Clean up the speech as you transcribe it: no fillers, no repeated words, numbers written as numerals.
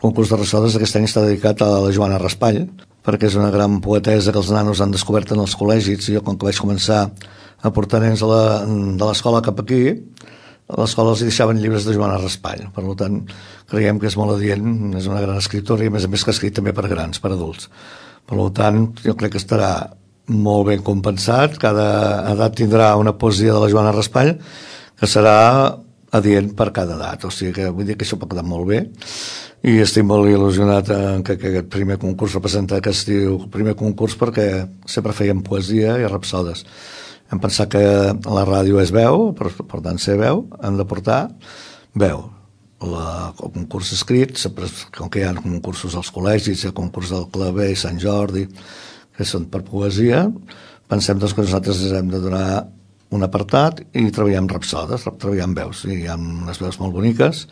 concurs de Rapsodes aquest any està dedicat a la Joana Raspall, perquè és una gran poetesa que els nanos han descobert en els col·legis. Jo, com que vaig començar a portar nens de l'escola cap aquí, a l'escola els deixaven llibres de Joana Raspall. Per tant, creiem que és molt adient, és una gran escriptora i a més que ha escrit també per grans, per adults. Per tant, jo crec que estarà molt ben compensat. Cada edat tindrà una poesia de la Joana Raspall que serà adient per cada edat, o sigui que vull dir que això pot quedar molt bé i estic molt il·lusionat en que aquest primer concurs representa que es diu primer concurs perquè sempre feien poesia i rapsodes. Hem pensat que la ràdio és veu, per tant ser veu, hem de portar veu. El concurs escrit, com que hi ha concursos als col·legis, hi ha concurs del Claver i Sant Jordi, que són per poesia, pensem doncs, que nosaltres hem de donar un apartat i treballem rapsodes, treballem veus, i hi ha unes veus molt boniques.